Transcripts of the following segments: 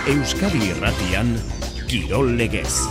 Euskadi Irratian, Kirol Legez.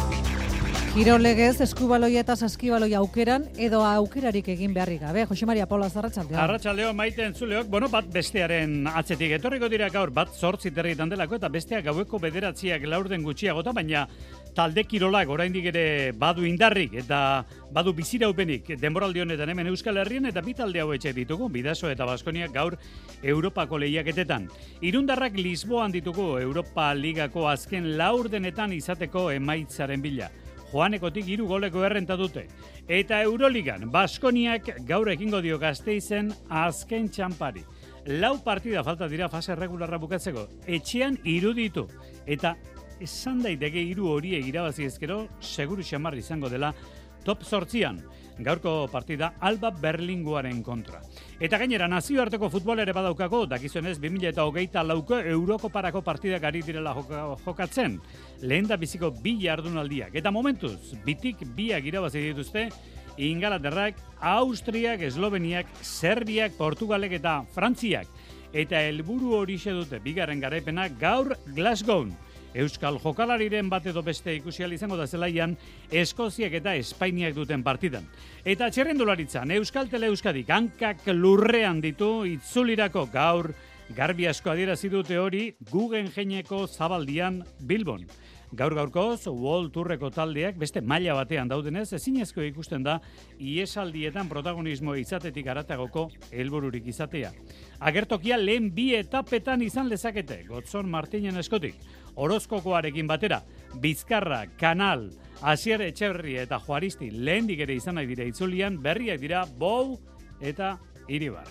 Kirol Legez, eskubaloia eta saskibaloia aukeran edo aukerarik egin beharrik gabe. Jose Maria Paula, arratsaldeon. Arratsaldeon, maite entzuleok, bat bestearen atzetik etorriko dira gaur, bat 8 herritan delako eta besteak gaueko 9 laurden gutxiagota, baina talde kirolak oraindik ere badu indarrik eta badu biziraupenik denboraldi honetan hemen Euskal Herrian, eta bi talde hauetxe ditugu, Bidasoa eta Baskoniak gaur Europako lehiaketetan. Irundarrak Lisboan ditugu Europa Ligako azken laurdenetan izateko emaitzaren bila. Joanekotik 3 goleko errenta dute. Eta Euroligan, Baskoniak gaur ekingo dio Gasteizen azken txampari. 4 partida falta dira fase regularra bukatzeko. Etxean 3 ditu. Eta esan daiteke 3 horiek irabazi ezkero, seguru xamar izango dela top 8an. Gaurko partida Alba Berlingoaren kontra. Eta gainera nazioarteko futbola ere badaukako, dakizunez 2024ko Eurokoparako partidak ari direla jokatzen. Lehen da biziko 2 jardunaldiak. Eta momentuz, bitik 2 irabazi dituzte, Ingalaterrak, Austriak, Esloveniak, Serbiak, Portugalek eta Frantziak. Eta helburu horixe dute bigarren garaipena gaur Glasgow. Euskal jokalariren bat edo beste ikusial izango da zelaian Eskoziak eta Espainiak duten partidan. Eta txirrindularitzan Euskaltel Euskadik hankak lurrean ditu itzulirako gaur garbi asko adierazi dute hori Guggenheimeko Zabaldian Bilbon. Gaur-gaurkoz, World Tourreko taldeak beste maila batean daudenez, ezinezko ikusten da iesaldietan protagonismo izatetik aratagoko helbururik izatea. Agertokia lehen 2 etapetan izan lezakete, Gotzon Martinen Eskotik, Orozkokoarekin batera, Bizkarra, Kanal, Asier Etxeberri eta Juaristi lehendik ere izan nahi dira itzulian, berriak dira Bou eta Iribar.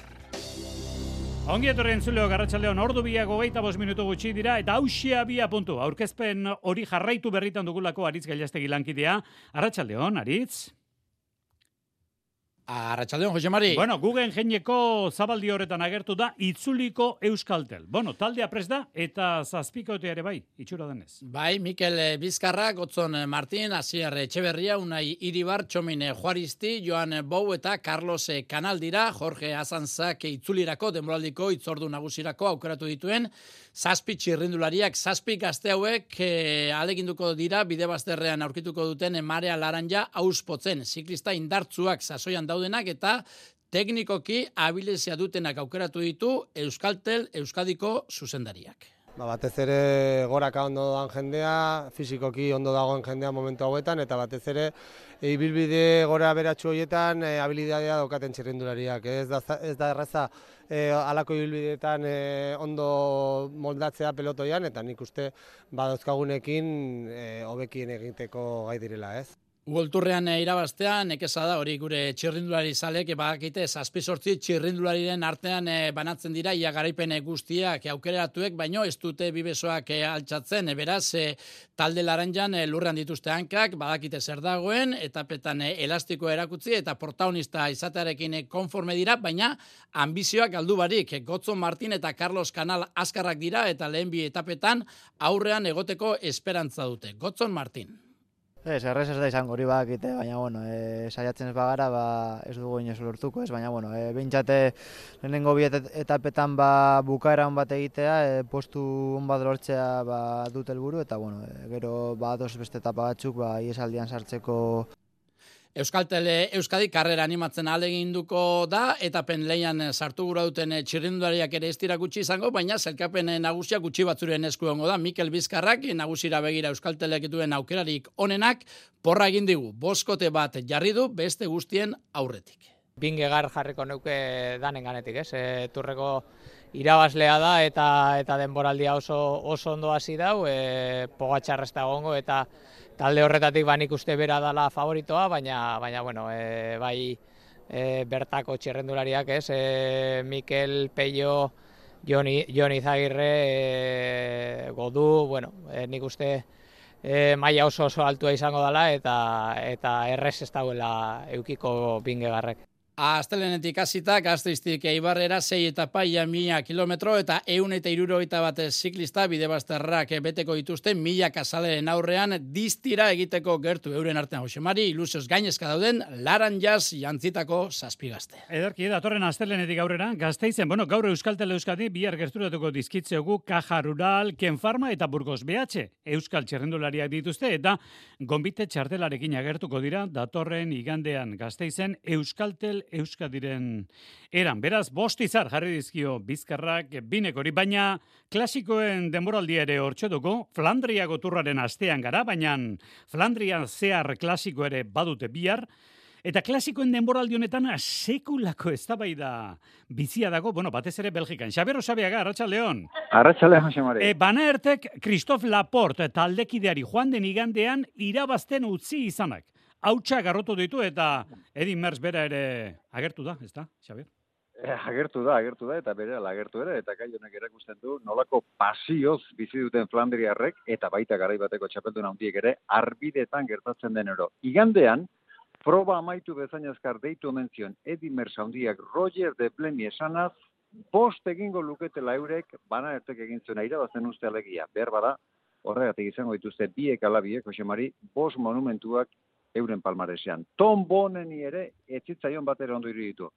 Ongi etorri entzuleok, arratsaldeon, ordu 2:25 minutu gutxi dira, eta hausia 2 puntu. Aurkezpen hori jarraitu berritan dugulako Aritz Gailastegi lankidea. Arratsaldeon, Aritz. Arratsaldeon, Jose Mari. Guggenheimeko Zabaldi horretan agertu da itzuliko Euskaltel. Taldea prest da eta zazpikotea ere bai, itxura denez. Bai, Mikel Bizkarra, Gotzon Martin, Asier Etxeberria, Unai Iribar, Txomin Juaristi, Joan Bou eta Carlos Kanal dira, Jorge Azanzak itzulirako, denboraldiko itzordu nagusirako aukeratu dituen, 7 txirrindulariak, 7 gazte hauek aleginduko dira, bide bazterrean aurkituko duten Marea Laranja auspotzen, ziklista indartzuak sasoian daudenak eta teknikoki abilezia dutenak aukeratu ditu Euskaltel Euskadiko zuzendariak. Batez ere goraka ondo doan jendea, fisikoki ondo dagoen jendea momentu hauetan, eta batez ere ibilbide gora beratxu horietan habilidadea daukaten txirrindulariak. Ez da erraza halako ibilbideetan ondo moldatzea pelotoian, eta nik uste badauzkagunekin hobekien egiteko gai direla, ez? Uolturrean irabaztean, nekeza da hori gure txirrindulari zalek, bakite 7-8 txirrindulariren artean banatzen dira, ia garaipen guztiak aukeratuek, baino ez dute bibesoak altxatzen, beraz, talde laranjan lurrean dituzte hankak, badakite zer dagoen, etapetan elastikoa erakutzi eta protagonista izatearekin konforme dira, baina ambizioak galdu barik. Gotzon Martin eta Carlos Kanal azkarrak dira eta lehen 2 etapetan aurrean egoteko esperantza dute. Gotzon Martin. Errez ez da izango hori bakite, baina saiatzen ez bagara ez dugu inoz lortuko ez, baina behintzate lehenengo 2 etapetan bukaera on bat egitea, postu on bat lortzea dut helburu eta gero badoz beste etapa batzuk iesaldian sartzeko. Euskaltel Euskadi karrera animatzen ahaleginduko da, etapen lehian sartu gura duten txirrindulariak ere ez dira gutxi izango, baina zelkapen nagusia gutxi batzuren esku egongo da. Mikel Bizkarrak nagusira begira Euskaltelek duen aukerarik onenak, porra egin digu, 5 kote bat jarri du beste guztien aurretik. Bingegar jarriko neuke danen ganetik, ez? Turreko irabazlea da eta denboraldia oso ondo hasi dau, Pogačar ez da egongo eta talde horretatik nik uste bera dala favoritoa, baina bai bertako txirrendulariak, ez? Mikel, Peio, Jon Izagirre, Godu, nik uste maila oso altua izango dela eta errez ez dauela eukiko Bingegarrek. Astelenetik hasita Gasteiztik Eibarrera 6 etapa ia 1000 kilometro eta 171 ziklista bidebazterrak beteko dituzte 1000 kazaleen aurrean distira egiteko gertu euren artean Josemari ilusioz gainezka dauden Laranjas jantzitako 7 gazte. Ederki datorren astelenetik aurrera Gasteizen, gaur Euskaltel Euskadi bihar gerturatuko dizkitzegu Caja Rural, Ken Pharma eta Burgos BH. Euskal txerrendulariak dituzte eta gonbite txartelarekin agertuko dira datorren igandean Gasteizen Euskaltel Euskadiren eran. Beraz, 5 izar jarri dizkio bizkarrak binek hori, baina klasikoen denboraldia ere hortxe dugu, Flandriako turraren astean gara, baina Flandrian zehar klasiko ere badute bihar, eta klasikoen denboraldi honetan sekulako eztabaida bizia dago, batez ere Belgikan. Xabier Osabiaga, Arratsaldeon. Arratsaldeon, Jose Mari. Banaertek Christophe Laporte taldekideari joan den igandean irabazten utzi izanak. Hautsa garrotu ditu eta Edin Merckx bera ere agertu da, ezta, Xabier? Agertu da, eta bere agertu ere, eta gai honek erakusten du nolako pasioz bizi duten Flandriarrek, eta baita garaibateko txapeldun handiek ere, arbidetan gertatzen den ero. Igandean, proba amaitu bezain azkar deitu omen zion Edin Merckx handiak Roger de Pleni esanaz, 5 egingo luketela eurek, Banaertek egin zuena irabazten uste alegia. Behar bada, horregatik izango dituzte biek alabiek, Jose Mari, 5 monumentuak euren palmaresean. Tom Boneni ere etzitzaion batera ondo iruditu.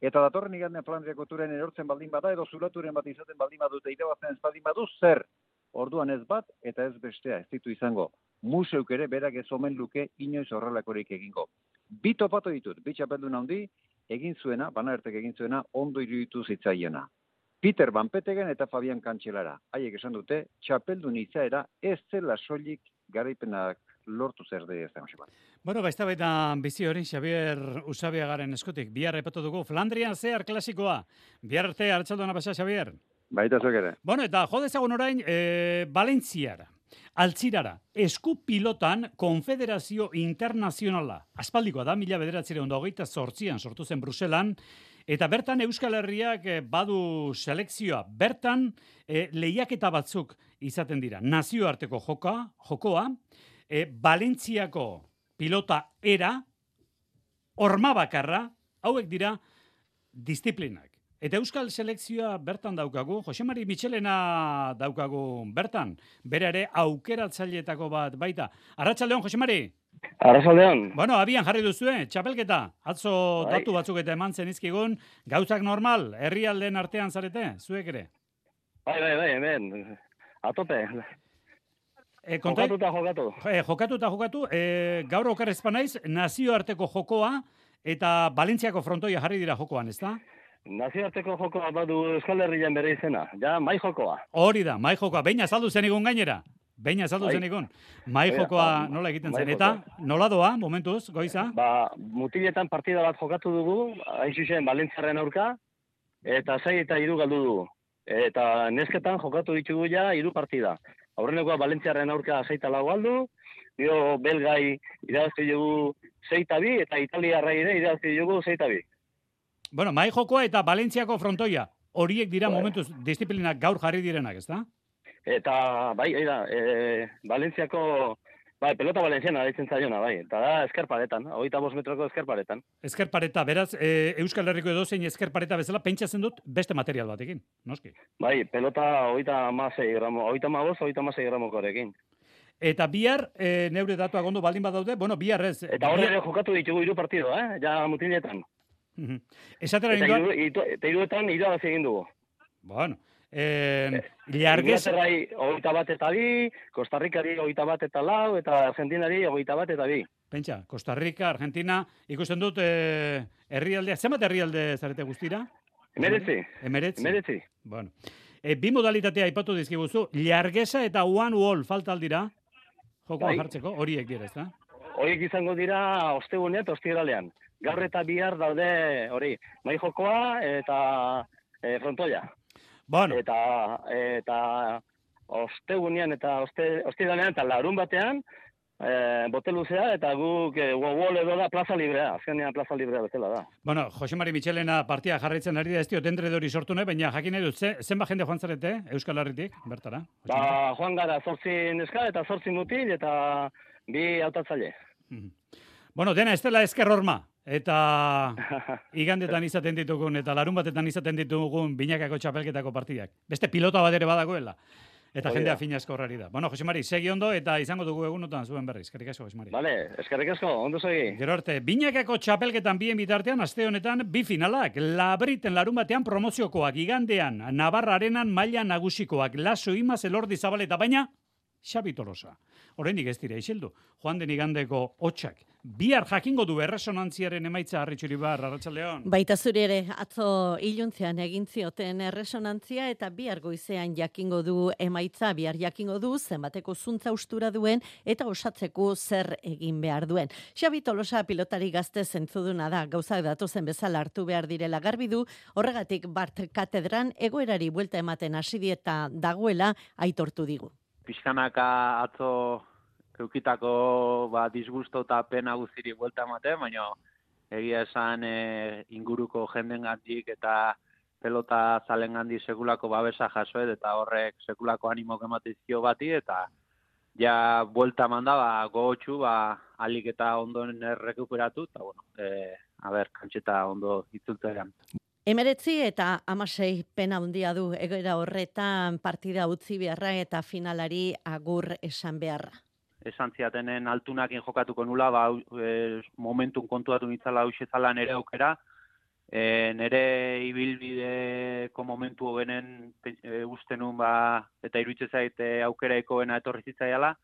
Eta datorren igandean Flandriako turen erortzen baldin bada, edo zulaturen bat izaten baldin badute irabazten ez baldin badu, zer? Orduan ez bat eta ez bestea, ez ditu izango. Museuk ere berak ez omen luke inoiz horrelakorik egingo. Bi topatu ditut, bi txapeldun handi, egin zuena, Banaertek egin zuena, ondo iruditu zitzaiena. Peter Van Petegen eta Fabian Kantxelara. Haiek esan dute, txapeldun izaera ez zela soilik garaipenak lortu zer de ez da. Baita bizi hori, Xabier Usabiagaren eskutik. Bihar epatu dugu, Flandrian zehar klasikoa. Bihar arte, arratsaldeon pasa, Xabier. Baita zuek ere. Eta jodezagun orain, Valentziara, Altzirara, esku pilotan Konfederazio Internazionala. Aspaldikoa da, 1928an sortu zen Bruselan, eta bertan Euskal Herriak badu selekzioa. Bertan lehiaketa batzuk izaten dira. Nazioarteko jokoa, Valentziako pilota era, horma bakarra, hauek dira disiplinak. Eta Euskal selekzioa bertan daukagu, Josemari Michelena daukagu bertan, bere ere aukeratzaileetako bat baita. Arratsaldeon, Josemari? Arratsaldeon. Abian jarri duzue, txapelketa, atzo datu batzuk eta eman zenizkigun, gauzak normal, herrialdeen artean zarete, zuek ere? Bai, hemen, atope. Jokatu, gaur okerrezpa naiz, nazioarteko jokoa eta Valentziako frontoia jarri dira jokoan, ezta? Nazioarteko jokoa badu Euskal Herrian bere izena, mai jokoa. Hori da, mai jokoa, behin azaldu zenigun gainera. Mai jokoa nola egiten zen, eta nola doa, momentuz, Goiza? Mutiletan partida bat jokatu dugu, hain zuzen Valentziaren aurka, eta 6 eta 3 galdu dugu. Eta nesketan jokatu ditugu ja 3 partida. Aurrenekoa Valentziaren aurka 6 eta 4 galdu, gero belgai irabazte dugu 6 eta 2, eta italiarra ere irabazte dugu 6 eta 2. Mai jokoa eta Valentziako frontoia, horiek dira momentuz disiplinak gaur jarri direnak, ezta? Eta, Valentziako, pelota valentziana daitzen zaiona, eta da eskerparetan, 25 metroko eskerparetan. Eskerpareta, beraz, Euskal Herriko edozein eskerpareta bezala, pentsatzen dut beste material batekin, noski? Pelota 35 gramokorekin. Eta bihar, neure datuak ondo baldin badaude, bihar ez. Eta hori ere jokatu ditugu 3 partido, ja mutiletan. Esatera ninduan? Eta 3etan irabazi egin dugu. Inglaterrai 21 eta 2, Costa Ricari 21 eta 4, eta Argentinari 21 eta 2. Pentsa, Costa Rica, Argentina, ikusten dut herrialdea, zenbat herrialde zarete guztira? Emeretzi. Bi modalitatea aipatu dizkiguzu, Llargesa eta One Wall falta aldira, jokoa jartzeko, horiek dira, ezta? Horiek izango dira ostegunean eta ostiralean. Gaur eta bihar daude hori, mai jokoa eta frontoia. Eta ostegunean eta ostiralean eta larun batean bote luzea eta guk wall edo da plaza librea, azkenean plaza librea bezala da. Josemari Michelena partia jarraitzen ari da, ez diot endredori sortu nahi, baina jakin nahi dut, zenba jende joan zarete, Euskal Herritik, bertara? Joan gara 8 neska eta 8 mutil eta 2 hautatzaile. Dena ez dela esker horma, eta igandetan izaten ditugun, eta larun batetan izaten ditugun binakako txapelketako partidak. Beste pilota bat ere badagoela. Eta jendea finazko horrari da. Bueno, Josemari, segi ondo eta izango dugu egunotan zuen berriz. Eskerrik asko, Josemari. Vale, eskerrik asko, ondo segi. Gero arte, binakako txapelketan bien bitartean, aste honetan, bi finalak. Labriten larun batean promoziokoak, igandean, Navarra Arenan maila nagusikoak, Laso Imaz, Elordi Zabaleta, baina Xabi Tolosa. Oraindik ez dira isildu. Joan den igandeko hotxak. Bihar jakingo du erresonantziaren emaitza Arritxuribar, Arratsaldeon. Baita zuri ere, atzo iluntzean egin zioten erresonantzia eta bihar goizean jakingo du emaitza, bihar jakingo du zenbateko zuntza ustura duen eta osatzeko zer egin behar duen. Xabi Tolosa pilotari gazte zentzuduna da, gauzak datozen bezala hartu behar direla garbi du, horregatik Bart Katedran egoerari buelta ematen hasi dieta dagoela aitortu digu. Pixkanaka atzo eukitako disgusto eta pena guziri buelta ematen, baina egia esan inguruko jendengandik eta pelota zalengandik sekulako babesa jasoet eta horrek sekulako animok ematizio bati eta ja buelta manda gogotxu alik eta ondoen errekuperatu eta kantxeta ondo itzultzean. 19 eta 16 pena handia du egoera horretan partida utzi beharra eta finalari agur esan beharra. Esan ziatenen altunakin jokatuko nula, momentun kontuatu nitzala hauxezala nere aukera, nere ibilbideko momentu hobenen usten nun eta iruitze zait aukeraiko bena etorri zitzaiala,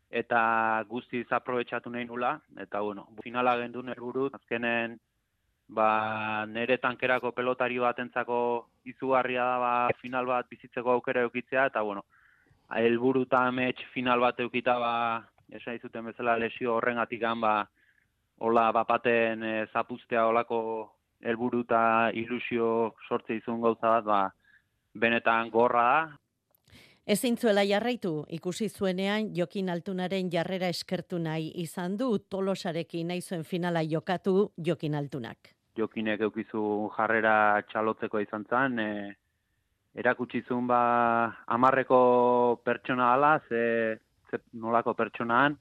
eta guztiz aprobetxatu nahi nula, eta finala gendun helburu, azkenen nere tankerako pelotari batentzako izugarria da final bat bizitzeko aukera eukitzea, eta helburu eta amets final bat eukita esan izuten bezala lesio horrengatikan hola bapaten zapuztea holako helburu eta ilusio sortze izun gauza bat benetan gorra da. Ezin zuela jarraitu, ikusi zuenean Jokin Altunaren jarrera eskertu nahi izan du, Tolosarekin nahi zuen finala jokatu Jokin Altunak. Jokinek eukizu jarrera txalotzeko izan zen, erakutsizun 10 pertsona ala, ze nolako pertsonaan,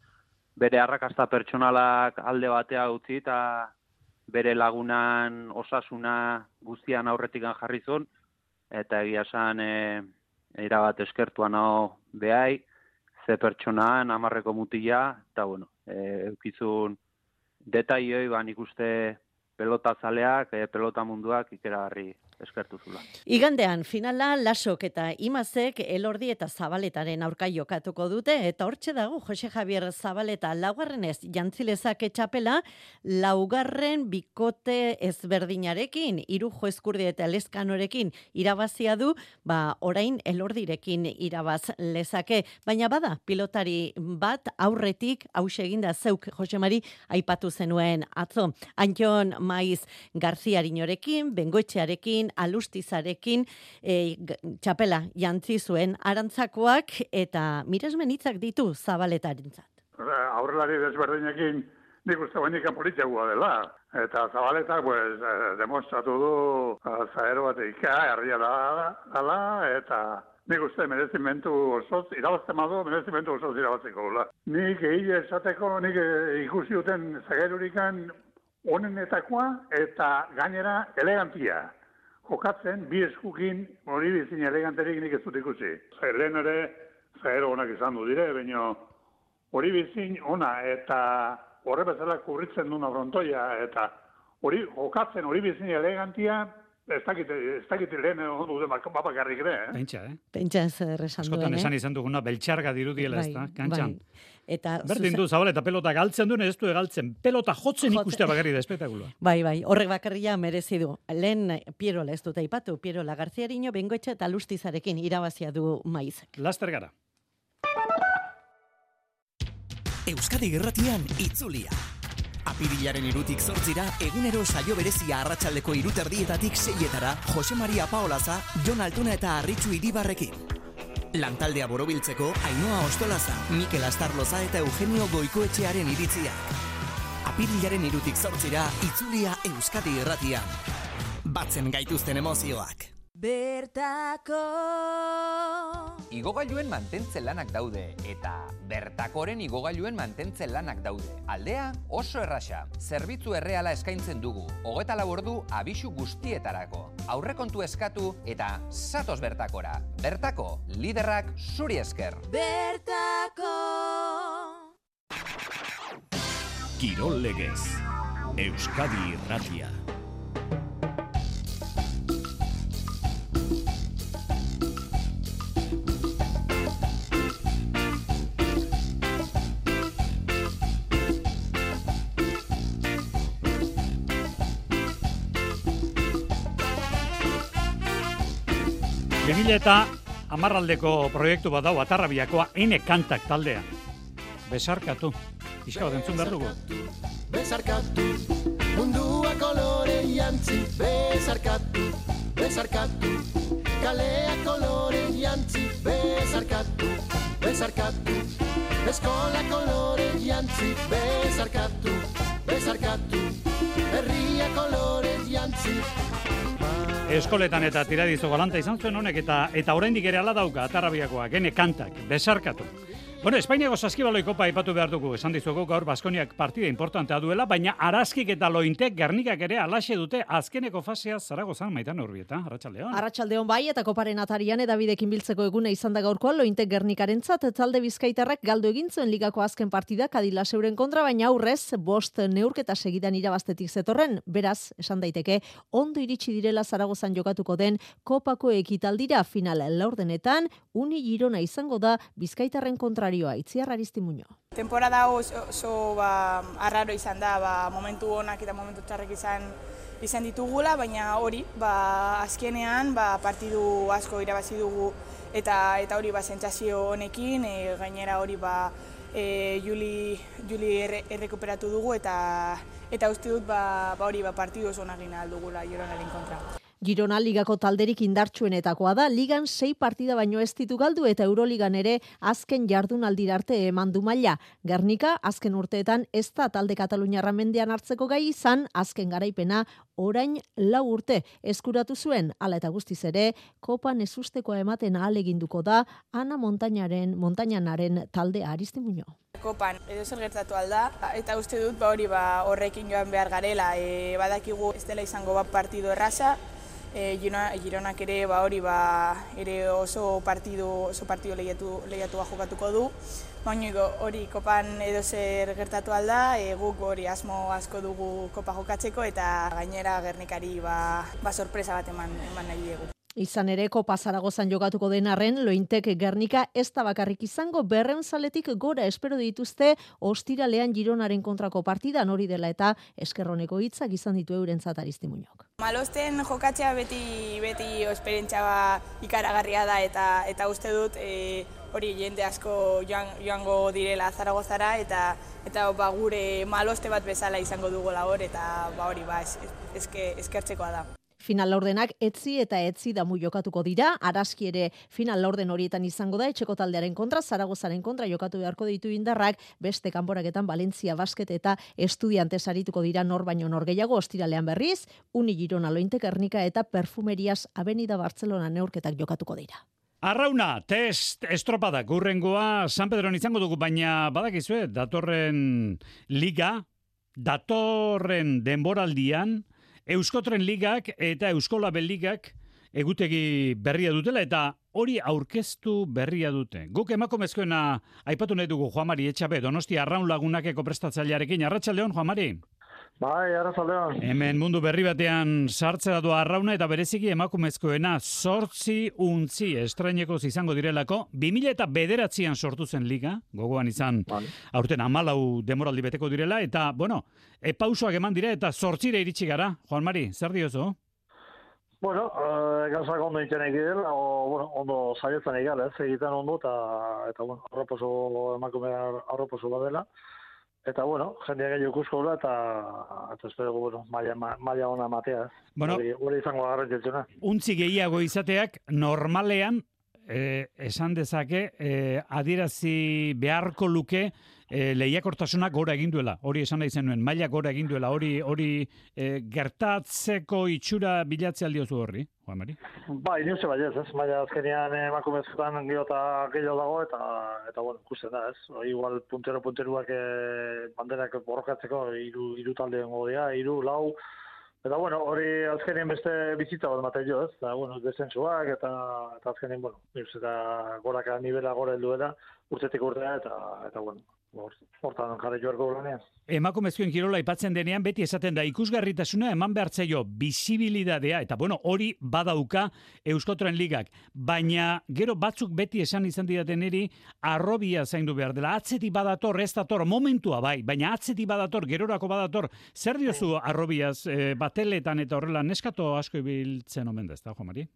bere arrakasta pertsonalak alde batea utzi eta bere lagunan osasuna guztian aurretikan jarri zuen, eta egia esan erabat eskertuan hau behai, ze pertsonaan 10 mutila, eta eukizun detaioi nik uste pelota zaleak, pelota munduak ikeragarri eskertu zula. Igandean finala Lasok eta Imazek Elordi eta Zabaletaren aurka jokatuko dute eta hortxe dago Jose Javier Zabaleta laugarrenez jantzilezake txapela, laugarren bikote ezberdinarekin, Irujo Eskurdi eta Leskanorekin irabazia du, orain Elordirekin irabaz lezake, baina bada pilotari bat aurretik hause eginda zeuk Josemari aipatu zenuen atzo. Antxon Maiz Garziarinorekin, Bengoetxearekin, Alustizarekin txapela jantzi zuen arantzakoak eta miresmen hitzak ditu Zabaletarentzat. Aurrelari desberdinekin nik uste bainika politikoa dela. Eta Zabaletak demostratu du zaero bat herria dala eta nik uste merezimentu osoz, irabazten badu, merezimentu osoz irabazteko gula. Nik egile esateko, nik ikusi duten zagerurikan onenetakoa eta gainera elegantia. Jokatzen, bi eskukin hori bizin eleganterik nik ez dut ikusi. Lehen ere, zaero honak izan du dire, baina hori bizin ona eta horre bezala kurritzen duna frontoia eta hori jokatzen hori bizin elegantia, ez dakit lehen ondo duten bapakarrik ere. Pentsa ez erresan duen. Askotan esan izan duguna, beltxarga dirudiela ez da, kantxan. Eta berdin du Zabaleta pelota galtzen duen, ez du egaltzen. Pelota jotzen ikustea bakarri da espektakuloa. Bai, horrek bakarria merezi du. Lehen Pierola ez dut aipatu, Pierola Garziarino, Bengoetxe eta Lustizarekin irabazia du Maizek. Laster gara. Euskadi Irratian itzulia. Apirilaren 2tik 8 egunero saio berezia arratsaldeko 3:30 6etara Jose Maria Paolaza, Jon Altuna eta Arritxu Iribarrekin. Lantaldea borobiltzeko Ainhoa Ostolaza, Mikel Astarloza eta Eugenio Goikoetxearen iritziak. Apirilaren 2tik 8 itzulia Euskadi Irratian. Batzen gaituzten emozioak. Bertako igogailuen mantentze lanak daude, eta Bertakoren igogailuen mantentze lanak daude. Aldea oso erraxa, zerbitzu erreala eskaintzen dugu, 24 ordu abisu guztietarako. Aurrekontu eskatu eta zatoz Bertakora. Bertako, liderrak zuri esker. Bertako! Kirol legez, Euskadi Irratia. Eta hamarraldeko proiektu bat dau Atarrabiakoa Ene Kantak taldea. Besarkatu. Iska bat entzun behar dugu. Besarkatu, mundua kolore jantzi. Besarkatu, besarkatu, kalea kolore jantzi. Besarkatu, besarkatu, eskola kolore jantzi. Besarkatu, besarkatu, herria kolore jantzi. Eskoletan eta tiradizo galanta izan zuen honek eta oraindik ere hala dauka Atarrabiakoak Ene Kantak, besarkatu. Bueno, Espainiako saskibaloi kopa aipatu behar dugu, esan dizuegu gaur Baskoniak partida importantea duela, baina Araskik eta Lointek Gernikak ere alaxe dute azkeneko fasea Zaragozan. Maitan Urbieta, arratsaldeon. Arratsaldeon bai, eta koparen atarian edabidekin biltzeko eguna izan da gaurkoa Lointek Gernikarentzat talde bizkaitarrak galdu egin zuen ligako azken partida Kadilazeuren kontra, baina aurrez 5 neurketa segidan irabaztetik zetorren. Beraz, esan daiteke, ondo iritsi direla Zaragozan jokatuko den kopako ekitaldira final laurdenetan, Uni Girona izango da bizkaitarren kontrarioa. Itziar Aristimuño. Temporada oso arraro izan da, momentu onak eta momentu txarrek izan ditugula, baina hori, azkenean partidu asko irabazi dugu eta hori sentsazio honekin, gainera hori Juli errekuperatu dugu eta uste dut hori partidu oso onak egin aldugula Gironaren kontra. Girona ligako talderik indartsuenetakoa da, ligan 6 partida baino ez ditu galdu eta Euroligan ere azken jardunaldira arte eman du maila. Gernika azken urteetan ez da talde Kataluniarra mendean hartzeko gai izan, azken garaipena orain 4 urte eskuratu zuen, hala eta guztiz ere, kopan ezustekoa ematen ahaleginduko da Ana Montañanaren taldea. Aristimuño. Kopan edo zer gertatu alda, eta uste dut hori horrekin joan behar garela, badakigu ez dela izango partidu erraza, Gironak ere hori ere oso partidu lehiatua jokatuko du. Baina hori kopan edo zer gertatu alda, guk hori asmo asko dugu kopa jokatzeko eta gainera Gernikari sorpresa bat eman nahi diegu. Izan ere, Kopa Zaragozan jokatuko den arren, Lointek Gernika ez da bakarrik izango, 200 zaletik gora espero dituzte ostiralean Gironaren kontrako partidan, hori dela eta eskerroneko hitzak izan ditu eurentzat Aristimuñok. Malosten jokatzea beti esperientzia ikaragarria da eta uste dut hori jende asko joango direla Zaragozara eta gure maloste bat bezala izango dugola hor eta hori eskertzekoa da. Final laurdenak etzi eta etzi damu jokatuko dira, Araski ere final laurden horietan izango da, etxeko taldearen kontra, Zaragozaren kontra jokatu beharko ditu indarrak, beste kanporaketan Valentzia Basket eta Estudiantes arituko dira nor baino nor gehiago, ostiralean berriz, Uni Girona Lointe Gernika eta Perfumerias Avenida Barcelona neurketak jokatuko dira. Arrauna, test estropadak urrengoa San Pedron izango dugu, baina badakizue, datorren denboraldian, Euskotren Ligak eta Euskolabel Ligak egutegi berria dutela eta hori aurkeztu berria dute. Guk emakumezkoena aipatu nahi dugu Juan Mari Etxabe, Donostia Arraun Lagunakeko prestatzailearekin. Arratsaldeon, Juan Mari. Bai, arratsaldeon. Hemen mundu berri batean sartzera doa Arrauna eta bereziki emakumezkoena 8 untzi estrainekoz izango direlako. 2009an sortu zen liga, gogoan izan aurten 14 demoraldi beteko direla eta, pausoak eman dira eta 8 iritsi gara. Juan Mari, zer diozu? Bueno, gauzak ondo intzenek direla, ondo saietzen egal, egiten ondo eta emakume arroposo badela. Eta, jendeak gehiago ikuskola eta espero, maila ona matea. Hori izango garrantzitsuna. Untzi gehiago izateak normalean esan dezake, adierazi beharko luke lehiakortasunak gora egin duela, hori esan nahi zenuen, maila gora egin duela, hori gertatzeko itxura bilatzea aldiozu horri, Juan Mari? Bai, niuze bai ez, maila azkenean emakumezkoetan gehiago dago, eta bueno, ikusten da, ez? Igual punteruak banderak borrokatzeko hiru talde gongo dira, 3, 4, eta bueno, hori azkenean beste bizitza bat ematen jo, ez? Eta bueno, desentsuak eta azkenean, bueno, eta goraka nivela gora helduela, urtetik urtea eta bueno, hortan jarri joarko lanean. Emakumezkoen kirola aipatzen denean beti esaten da ikusgarritasuna eman behartzaio bizibilidadea eta bueno, hori badauka Euskotren Ligak, baina gero batzuk beti esan izan didaten eri arrobia zaindu behar dela. Atzetik badator, ez dator, momentua bai, baina atzetik badator, gerorako badator. Zer diozu arrobiaz bateletan eta horrela neskato asko ibiltzen omen da, ez da, Juan Mari?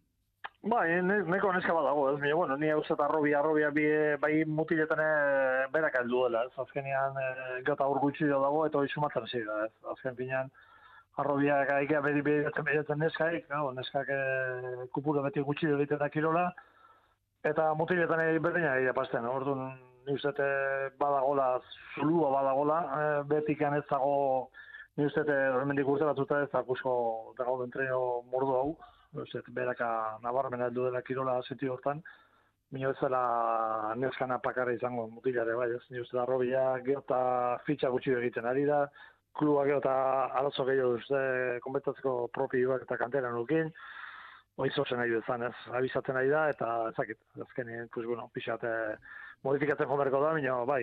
Bai, neko neska badago, ez? Bueno, ni hau zeta arrobia bai mutiletan berak aldu dela, ez? Azkenean gata hor gutxi dago eta hori sumatzen hasi da, ez? Azken finean arrobiak aikea beritzen neskaik, neskak kupuro beti gutxi egiten da kirola, eta mutiletan berdina egia pasten, orduan ni uste badagola, zulua badagola, betikan ez dago, ni uste hemendik urte batzuta ez akusko dago entreno mordu hau, beraka nabarmen aldu dela kirola sentio hortan, mino ez dela neskana pakarra izango mutilare bai, ez ni uste arrobia geota fitxa gutxi egiten ari da, kluba geota arazo gehiago uste konbentatzeko propioak eta kanteran nukin, hori zozen nahi bezan, ez, abizatzen nahi da, eta ezakit, azkenean, pues bueno, pixat modifikatzen jomerko da, baina bai,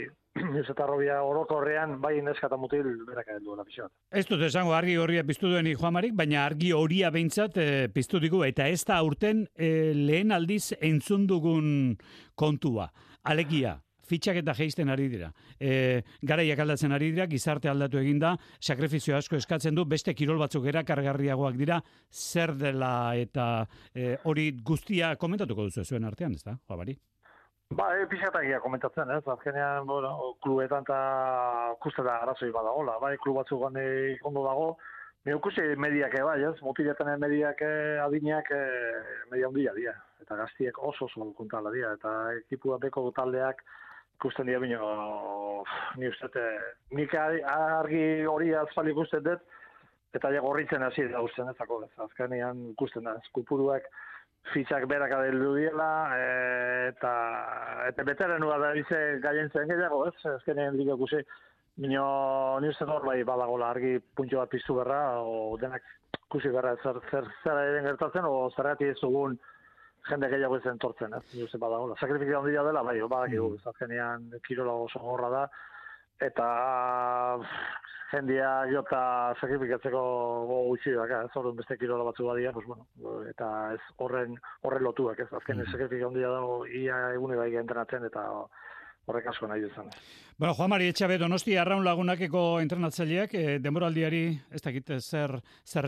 ez eta arrobia orokorrean, bai neska eta mutil beraka helduela pixat. Ez dut esango argi horia piztu duen Juan Marik, baina argi horia behintzat piztu digu, eta ez da aurten lehen aldiz entzun dugun kontua. Alegia, fitxak eta jeisten ari dira. Garaiak aldatzen ari dira, gizarte aldatu eginda, sakrifizio asko eskatzen du, beste kirol batzuk erakargarriagoak dira, zer dela eta hori guztia komentatuko duzu zuen artean, ez da, Juan Mari? Ba, pixatakia komentatzen, ez? Azkenean, bueno, klubetan eta kuste da arazoi badagola, bai, klub batzuk ondo dago, ikusi mediak bai, ez? Mutiletan mediak adineak media ondia dira, eta gaztiek oso kontala dira, eta ekipua beko taldeak ikusten dira bino, ni uste, nik argi hori azpali ikusten dut, eta ja gorritzen hasi da usten ezako, ez? Azkenean ikusten da, eskupuruak fitxak berak adeldu diela, eta beterenua da bize gaientzen gehiago, ez? Ezkenean liga ikusi, ni uste hor bai badagola argi puntxo bat piztu berra, o denak ikusi berra zer eren gertatzen, o zergatik ez dugun jende gehiago ezen tortzen, ez? Ni uste badagola. Sakrifizio handia dela, bai, badakigu, azkenean kirola oso gorra da, eta jendia jota sakrifikatzeko gutxi daka, ez horren beste kirola batzu badia, pues bueno, eta ez horren lotuak, ez azken sakrifika handia dago ia egune bai entrenatzen eta horrek asko nahi duzan. Bueno, Juan Mari Etxabe Donosti Arraun Lagunakeko entrenatzaileak denboraldiari ez dakit zer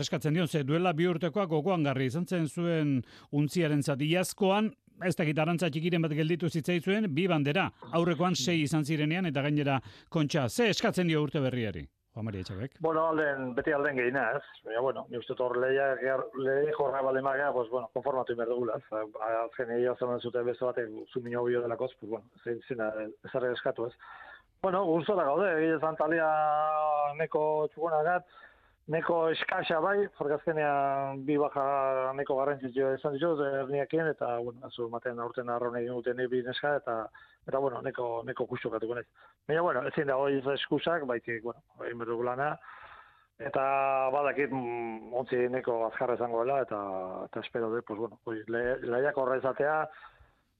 eskatzen dion, ze duela 2 urtekoak gogoan garri izan zen zuen untziaren zatiazkoan, ez dakit arantza txikiren bat gelditu zitzaizuen, 2 bandera, aurrekoan 6 izan zirenean eta gainera kontxa. Ze eskatzen dio urte berriari? Juan Mari Etxabek. Bueno, beti alden gehiena, ez? Baina, bueno, ni uste hor lehi jorra bale maga, pues, bueno, konformatu inber dugula, ez? Azken egia zen zute beste batek zumino bio delakoz, pues, bueno, zina ezarri eskatu, ez? Bueno, guztora gaude, egia zantalia neko txugonagat, neko eskaxa bai, porque azkenean 2 baja neko garrantzitsua izan dituz, erniakien, eta, bueno, azu maten aurten arraun egin duten bi neska, eta bueno, neko kustokatuko nahi. Baina, bueno, ezin da hori eskusak, baitik, bueno, egin berdugu lana, eta badakit ontzi neko azkarra izango dela, eta espero dut, pues, bueno, lehiak horra izatea,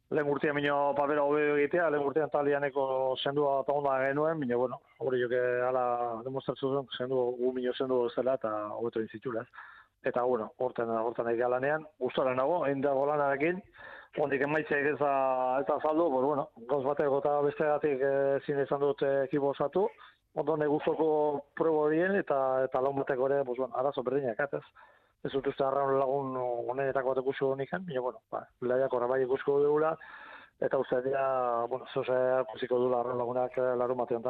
lehen urtean minio papera hobe egitea, lehen urtean talianeko sendua eta onda genuen, minio, bueno, hori joke ala demostratu zuen, gu minio sendu zela eta hobeto inzitxula, eta, bueno, horten egia lanean, gustora nago, egin dago lanarekin, ondik emaitzek ez da saldu, pues, bueno, gauz bateko eta bestegatik zine izan dut ekipo osatu, ondo neguzoko probo horien eta laun bateko ere, pues, bueno, arazo berdinak, ez dut uste Arraun Lagun honetako bat ikusko nikan, baina, bueno, lehiak horra bai ikusko dugula, Eta uste dira, zeuze kusiko du lagunak larun batean.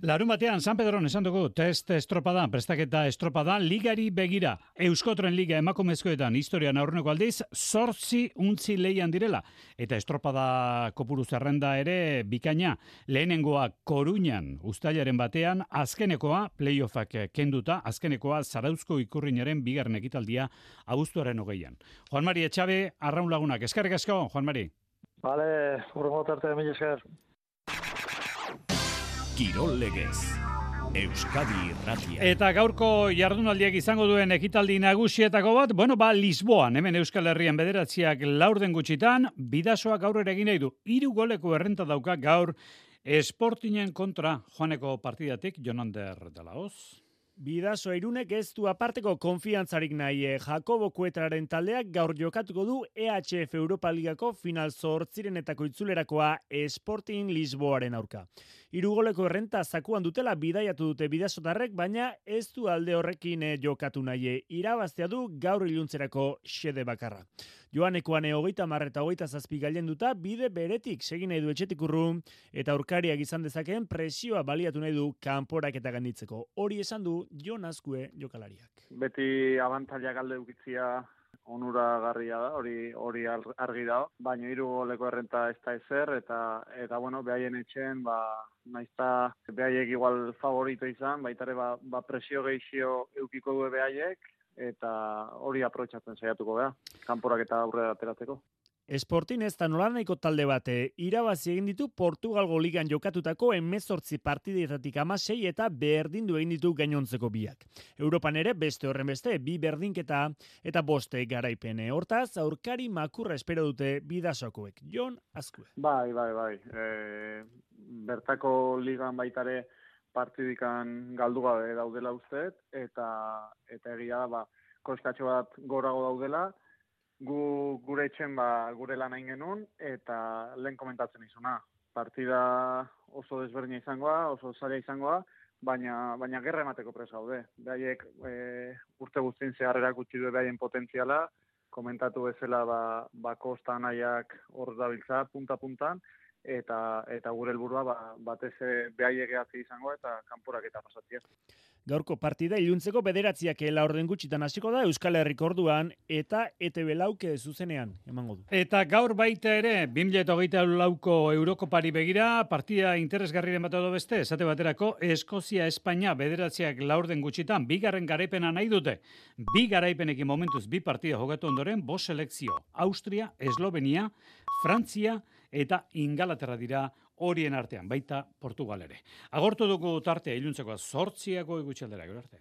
Larun batean, San Pedron esan dugu, test estropada, prestaketa estropada, ligari begira, Euskotren Liga emakumezkoetan historian aurreneko aldiz, 8 untzi leian direla. Eta estropada kopuru zerrenda ere bikaina, lehenengoa Koruñan, uztailaren batean, azkenekoa, playoffak kenduta, azkenekoa Zarauzko Ikurrinaren bigarren ekitaldia abuztuaren 20an. Juan Mari Etxabe, Arraun Lagunak, eskerrik asko, Juan Mari. Bale, urrengo tarte, mila esker. Kirol legez, Euskadi Irratia. Eta gaurko jardunaldiak izango duen ekitaldi nagusietako bat, Lisboan, hemen Euskal Herrian bederatziak laurden gutxitan, Bidasoak aurrera egin nahi du. 3 goleko errenta dauka gaur Sportingen kontra joaneko partidatik, Jonander de la Hoz. Bidaso Irunek ez du aparteko konfiantzarik nahi. Jakobo Kuetraren taldeak gaur jokatuko du EHF Europa Ligako final 8 itzulerakoa Sporting Lisboaren aurka. 3 goleko errenta zakuan dutela bidaiatu dute bidasotarrek, baina ez du alde horrekin jokatu nahi. Irabaztea du gaur iluntzerako xede bakarra. Joanekoan 30 eta 27 gailenduta bide beretik segin nahi du etxetik urrun eta aurkariak izan dezakeen presioa baliatu nahi du kanporak eta ganditzeko. Hori esan du Jon Azkue jokalariak. Beti abantailak alde ukitzia onuragarria da, hori argi da, baina 3 goleko errenta ez da ezer, eta behaien etxen, naizta behaiek igual favorito izan, baitare presio gehixio eukiko du behaiek, eta hori aprobetxatzen saiatuko beha, kanporak eta aurrera ateratzeko. Sporting ez da nolanaiko talde bate, irabazi egin ditu Portugalgo ligan jokatutako 18 partidetatik 16 eta berdindu egin ditu gainontzeko biak. Europan ere beste horren beste, 2 berdinketa eta 5 garaipene. Hortaz, aurkari makurra espero dute Bidasokoek. Jon Azkue. Bai. Bertako ligan baitare partidikan galdu gabe daudela usteet, eta egia da, koskatxo bat gorago daudela, gure etxen gure lan hain genuen, eta lehen komentatzen izuna. Partida oso desberdina izangoa, oso zaila izangoa, baina gerra emateko presa gaude. Behaiek urte guztien zeharrerak utzi du behaien potentziala, komentatu bezala kosta nahiak hor dabiltza, punta-puntan, eta gure helburua batez behaiek gehatzi izangoa eta kanporak eta pasatzea. Gaurko partida iluntzeko bederatziak laurden gutxitan hasiko da Euskal Herriko orduan eta ETB lauke zuzenean emango du. Eta gaur baita ere 2024ko Eurokopari begira partida interesgarriren bat edo beste, esate baterako Eskozia-Espainia bederatziak laurden gutxitan bigarren garaipena nahi dute. 2 garaipenekin momentuz 2 partida jokatu ondoren 5 selekzio. Austria, Eslovenia, Frantzia eta Ingalaterra dira horien artean, baita Portugal ere. Agortu dugu tartea iluntzeko 8 gutxi aldera, gero arte.